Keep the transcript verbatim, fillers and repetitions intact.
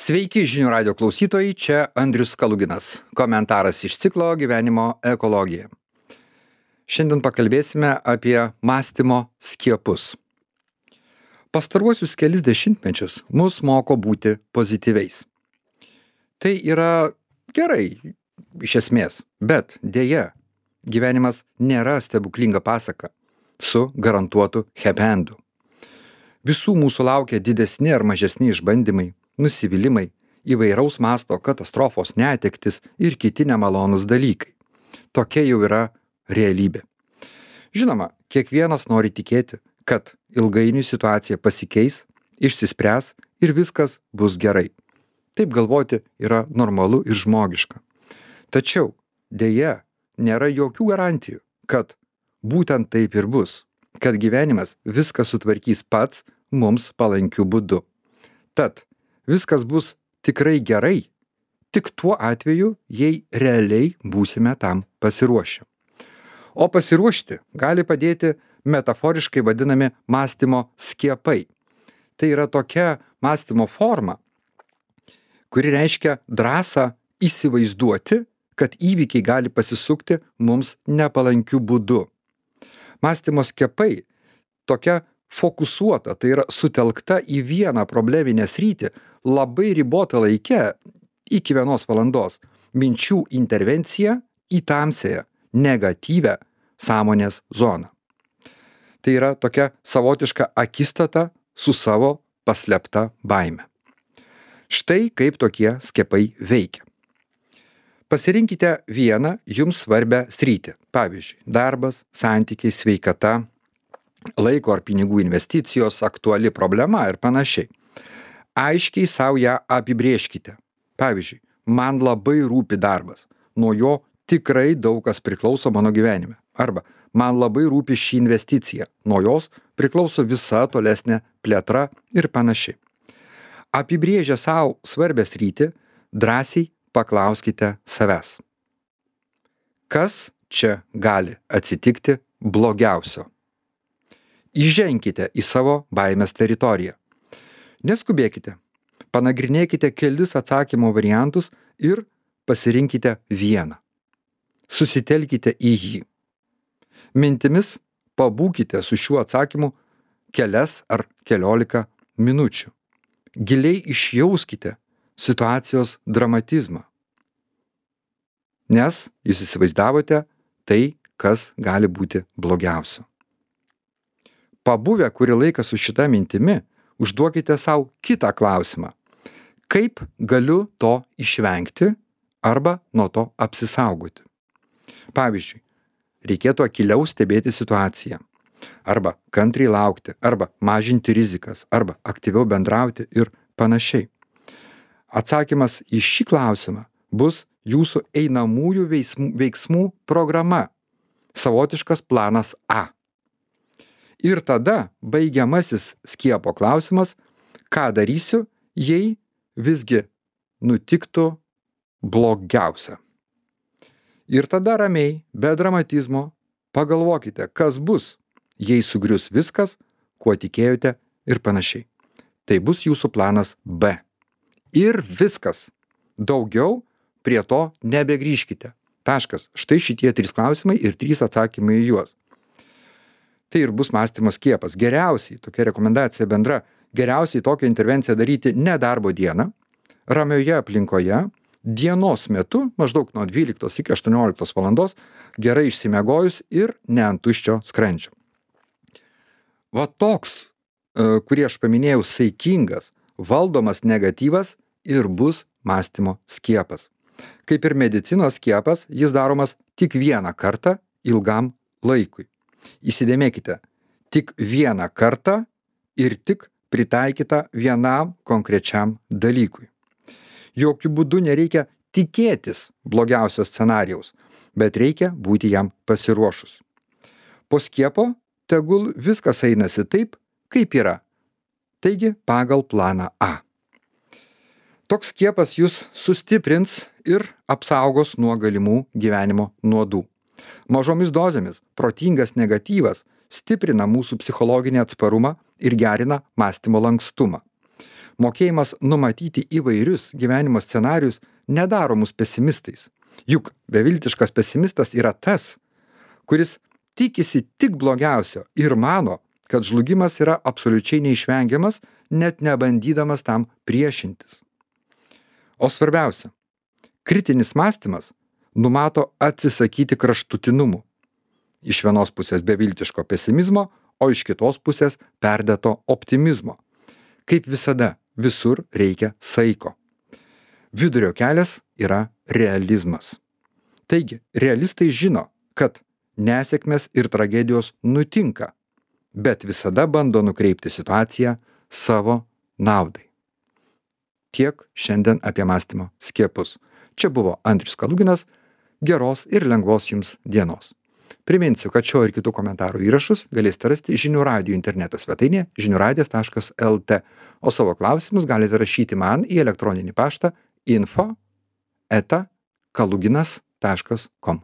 Sveiki žinių radio klausytojai, čia Andrius Kaluginas. Komentaras iš ciklo Gyvenimo ekologija. Šiandien pakalbėsime apie mąstymo skiepus. Pastaruosius kelis dešimtmečius mus moko būti pozityviais. Tai yra gerai, iš esmės, bet dėja, gyvenimas nėra stebuklinga pasaka su garantuotu happy endu. Visų mūsų laukia didesni ar mažesni išbandymai, nusivylimai, įvairaus masto katastrofos, netektis ir kiti nemalonūs dalykai. Tokia jau yra realybė. Žinoma, kiekvienas nori tikėti, kad ilgainiui situacija pasikeis, išsispręs ir viskas bus gerai. Taip galvoti yra normalu ir žmogiška. Tačiau, dėja, nėra jokių garantijų, kad būtent taip ir bus, kad gyvenimas viską sutvarkys pats mums palankiu būdu. Tad, viskas bus tikrai gerai, tik tuo atveju, jei realiai būsime tam pasiruošę. O pasiruošti gali padėti metaforiškai vadinami mąstymo skiepai. Tai yra tokia mąstymo forma, kuri reiškia drąsą įsivaizduoti, kad įvykiai gali pasisukti mums nepalankiu būdu. Mąstymo skiepai tokia fokusuota, tai yra sutelkta į vieną probleminę sritį labai ribotą laikę iki vienos valandos minčių intervencija į tamsiąją, negatyvę sąmonės zoną. Tai yra tokia savotiška akistata su savo paslėpta baime. Štai kaip tokie skiepai veikia. Pasirinkite vieną jums svarbią sritį. Pavyzdžiui, darbas, santykiai, sveikata, laiko ar pinigų investicijos, aktuali problema ir panašiai. Aiškiai savo ją apibrėžkite. Pavyzdžiui, man labai rūpi darbas. Nuo jo tikrai daug kas priklauso mano gyvenime. Arba, man labai rūpi ši investicija. Nuo jos priklauso visa tolesnė plėtra ir panašiai. Apibrėžę savo svarbę sritį, drąsiai paklauskite savęs. Kas čia gali atsitikti blogiausio? Įženkite į savo baimės teritoriją. Neskubėkite, panagrinėkite kelis atsakymo variantus ir pasirinkite vieną. Susitelkite į jį. Mintimis pabūkite su šiuo atsakymu kelias ar keliolika minučių. Giliai išjauskite situacijos dramatizmą. Nes jūs įsivaizdavote tai, kas gali būti blogiausio. Pabuvę kurį laiką su šita mintimi, užduokite savo kitą klausimą. Kaip galiu to išvengti arba nuo to apsisaugoti? Pavyzdžiui, reikėtų akyliau stebėti situaciją, arba kantriai laukti, arba mažinti rizikas, arba aktyviau bendrauti ir panašiai. Atsakymas į šį klausimą bus jūsų einamųjų veiksmų, veiksmų programa, savotiškas planas A. Ir tada baigiamasis skiepo klausimas, ką darysiu, jei visgi nutiktų blogiausia. Ir tada ramiai, be dramatizmo, pagalvokite, kas bus, jei sugrius viskas, kuo tikėjote ir panašiai. Tai bus jūsų planas B. Ir viskas. Daugiau prie to nebegrįžkite. Taškas. Štai šitie trys klausimai ir trys atsakymai į juos. Tai ir bus mąstymo skiepas. Geriausiai, tokia rekomendacija bendra, geriausiai tokią intervenciją daryti ne darbo dieną, ramioje aplinkoje, dienos metu, maždaug nuo dvyliktos iki aštuonioliktos valandos, gerai išsimiegojus ir ne ant tuščio skrandžio. Va toks, kurį aš paminėjau, saikingas, valdomas negatyvas ir bus mąstymo skiepas. Kaip ir medicinos skiepas, jis daromas tik vieną kartą ilgam laikui. Įsidėmėkite, tik vieną kartą ir tik pritaikyta vienam konkrečiam dalykui. Jokių būdų nereikia tikėtis blogiausio scenarijaus, bet reikia būti jam pasiruošus. Po skiepo tegul viskas einasi taip, kaip yra. Taigi pagal planą A. Toks skiepas jūs sustiprins ir apsaugos nuo galimų gyvenimo nuodų. Mažomis dozėmis protingas negatyvas stiprina mūsų psichologinį atsparumą ir gerina mąstymo lankstumą. Mokėjimas numatyti įvairius gyvenimo scenarius nedaro mus pesimistais. Juk beviltiškas pesimistas yra tas, kuris tikisi tik blogiausio ir mano, kad žlugimas yra absoliučiai neišvengiamas, net nebandydamas tam priešintis. O svarbiausia, kritinis mąstymas numato atsisakyti kraštutinumų. Iš vienos pusės beviltiško pesimizmo, o iš kitos pusės perdėto optimizmo. Kaip visada, visur reikia saiko. Vidurio kelias yra realizmas. Taigi, realistai žino, kad nesėkmės ir tragedijos nutinka, bet visada bando nukreipti situaciją savo naudai. Tiek šiandien apie mąstymo skiepus. Čia buvo Andrius Kaluginas. Geros ir lengvos jums dienos. Priminsiu, kad šio ir kitų komentarų įrašus galėsite rasti žinių radijo interneto svetainėje žinių radijas taškas el tė, o savo klausimus galite rašyti man į elektroninį paštą info eta kaluginas taškas kom.